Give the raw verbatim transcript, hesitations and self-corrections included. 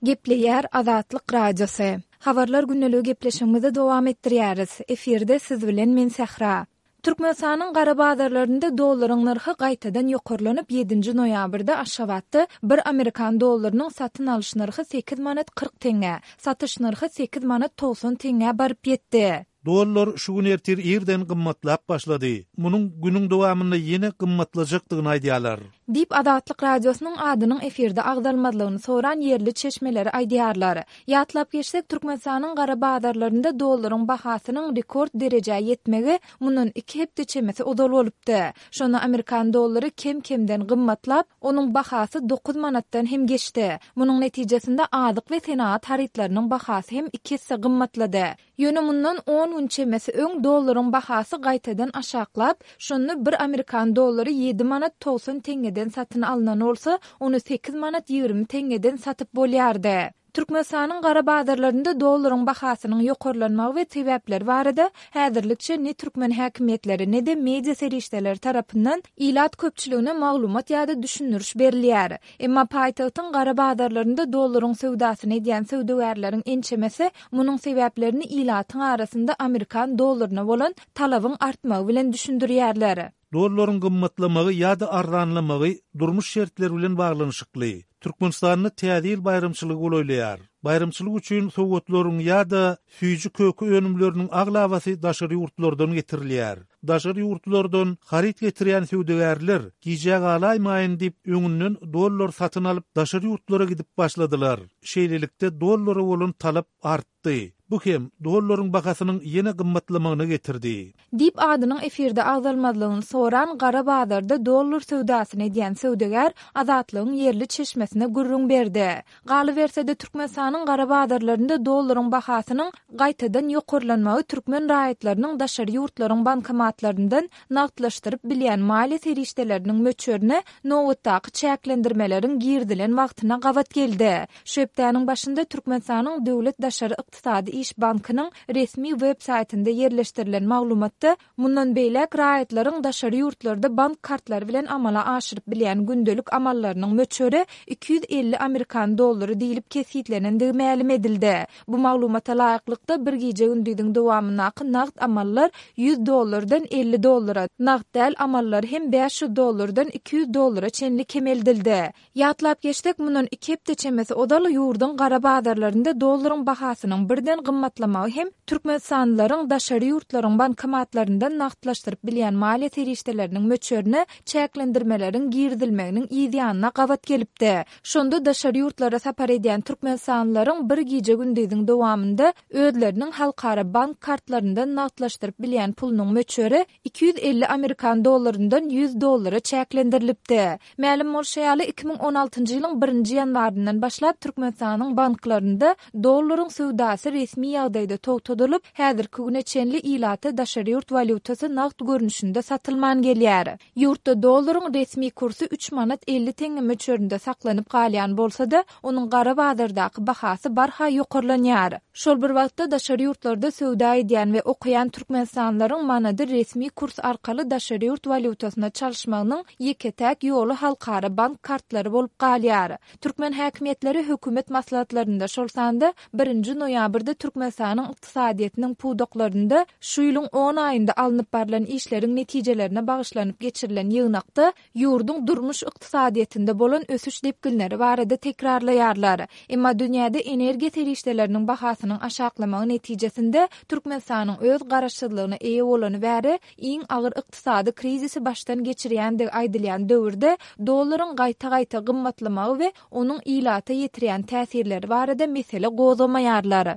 Gepleýär Azatlyk Radiosy. Habarlar gündeligi gepleşigimizi dowam etdirýäris. Efirde siz bilen men Sähra. Türkmenistanyň gara bazarlarynda dollaryň nyrhy gaýtadan ýokarlanyp, ýedinji noýabrda Aşgabatda bir amerikan dollarynyň satyn alyş nyrhy sekiz manat kyrk teňňä, satyş nyrhy sekiz manat togsan teňňä baryp ýetdi. Dollar şu gün ertir irden gymmatlap başlady. Munuň günüň dowamynda ýene gymmatlajakdygyny aýdýarlar. Diýip, Azatlyk Radiosynyň adynyň efirde agzalmazlygyny soran ýerli çeşmeleri aýdýarlar. Ýatlap geçsek, Türkmenistanyň gara bazarlarynda dollaryň bahasynyň rekord derejä ýetmegi mundan iki hepde çemesi ozal bolupdy. Şonda amerikan dollary kem-kemden gymmatlap, onuň bahasy dokuz manatdan hem geçdi. Munuň netijesinde azyk we senagat harytlarynyň bahasy hem iki esse gymmatlady. Ýöne mundan on gün çemesi öň dollaryň bahasy gaýtadan aşaklap, şonda bir amerikan dollary ýedi manat togsan teňňeden satyn alnan bolsa, ony sekiz manat ýigrimi teňňeden satyp bolýardy. Türkmenistanyň gara bazarlarynda dollaryň bahasynyň ýokarlanmagy we sebäpleri barada häzirlikçe ne türkmen häkimiýetleri, ne-de media serişdeleri tarapyndan ilat köpçüligine maglumat ýa-da düşündiriş berilýär. Emma paýtagtyň gara bazarlarynda dollaryň söwdasyny edýän söwdagärleriň ençemesi munuň sebäplerini ilatyň arasynda amerikan dollaryna bolan talabyň artmagy bilen düşündirýärler. Dollaryň gymmatlamagy ýa-da arzanlamagy durmuş şertleri bilen baglanyşykly. Türkmenistanda Täze ýyl baýramçylygy golaýlaýar. Baýramçylyk üçin sowgatlaryň ýa-da süýji-köke önümleriniň aglabasy daşary ýurtlardan getirilýär. Daşary ýurtlardan haryt getirýän söwdagärler gijä galaýmaýyn diýip öňünden dollar satyn alyp daşary ýurtlara gidip başladylar. Şeýlelikde dollara bolan talap artdy. Bu hem dollaryň bahasynyň ýene gymmatlamagyna getirdi. Diýip adynyň efirde agzalmazlygyny soran gara bazarda dollar söwdasyny edýän söwdagär Azatlygyň ýerli çeşmesine gürrüň berdi. Galyberse-de Türkmenistanyň gara bazarlarynda dollaryň bahasynyň gaýtadan ýokarlanmagy türkmen raýatlarynyň daşary ýurtlaryň bankomatlaryndan nagtlaşdyryp bilýän maliýe serişdeleriniň möçberine nobatdaky çäklendirmeleriň girizilen wagtyna gabat geldi. Şu hepdäniň başynda Türkmenistanyň Döwlet daşary ykdysady iş bankynyň resmi web saýtynda ýerleşdirilen maglumatda mundan beýläk raýatlaryň daşary ýurtlarda bank kartlary bilen amala aşyryp bilýän gündelik amallarynyň möçberi iki ýüz elli amerikan dollary diýlip kesgitlenendigi mälim edildi. Bu maglumata laýyklykda bir gije-gündiziň dowamyndaky nagt amallar ýüz dollardan elli dollara, nagt däl amallar hem bäş ýüz dollardan iki ýüz dollara çenli kemeldildi. Ýatlap geçsek, mundan iki hepde çemesi ozal ýurduň gara bazarlarynda dollaryň bahasynyň birden gymmatlamagy hem türkmenistanlylaryň daşary ýurtlaryň bankomatlaryndan nagtlaşdyryp bilýän maliýe serişdeleriniň möçberine çäklendirmeleriň girizilmeginiň yz ýanyna gabat gelipdi. Şonda daşary ýurtlara sapar edýän türkmenistanlylaryň bir gije-gündiziň dowamynda özleriniň halkara bank kartlaryndan nagtlaşdyryp bilýän pulunyň möçberi iki ýüz elli amerikan dollaryndan ýüz dollara çäklendirilipdi. Mälim bolşy ýaly, iki müň on altynjy ýylyň birinji ýanwaryndan başlap Türkmenistanyň banklarynda dollaryň söwdasy resmi ýagdaýda togtadylyp, häzirki güne çenli ilata daşary ýurt walýutasy nagt görnüşinde satylman gelýär. Ýurtda dollaryň resmi kursy üç manat elli teňňe möçberinde saklanyp galýan bolsa-da, onuň gara bazardaky bahasy barha ýokarlanýar. Şol bir wagtda daşary ýurtlarda söwda edýän we okaýan türkmenistanlylaryň manady resmi kurs arkaly daşary ýurt walýutasyna çalyşmagynyň ýeke-täk ýoly halkara bank kartlary bolup galýar. Türkmen häkimiýetleri hökümet maslahatlarynda, şol sanda birinji noýabrda Türkmenistanyň ykdysadyýetiniň pudaklarynda şu ýylyň on aýynda alnyp barlan işleriň netijelerine bagyşlanyp geçirilen ýygnakda ýurduň durmuş ykdysadyýetinde bolan ösüş depginleri barada tekrarlaýarlar. Emma dünýäde energiýa serişdeleriniň bahasynyň aşaklamagy netijesinde Türkmenistanyň öz garaşsyzlygyna eýe bolany bäri iň agyr ykdysady krizisi başdan geçirýändigi aýdylýan döwürde dollaryň gaýta-gaýta gymmatlamagy we onuň ilata ýetirýän täsirleri barada mesele gozgamaýarlar.